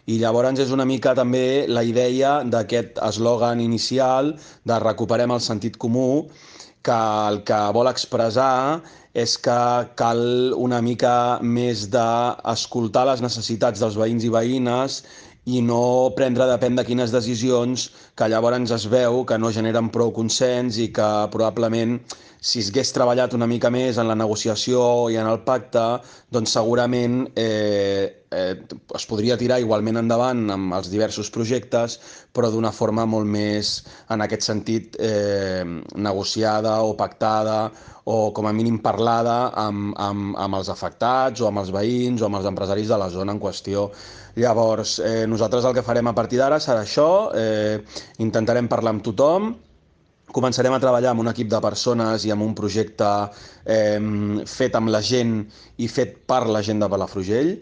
I llavors és una mica també la idea d'aquest eslògan inicial de recuperem el sentit comú, que el que vol expressar és que cal una mica més d'escoltar les necessitats dels veïns i veïnes i no prendre depèn de quines decisions que llavors es veu que no generen prou consens i que probablement si es hagués treballat una mica més en la negociació i en el pacte, doncs segurament es podria tirar igualment endavant amb els diversos projectes, però d'una forma molt més, en aquest sentit, negociada o pactada o com a mínim parlada amb els afectats o amb els veïns o amb els empresaris de la zona en qüestió. Llavors, nosaltres el que farem a partir d'ara serà això, intentarem parlar amb tothom, començarem a treballar amb un equip de persones i amb un projecte fet amb la gent i fet per la gent de Palafrugell,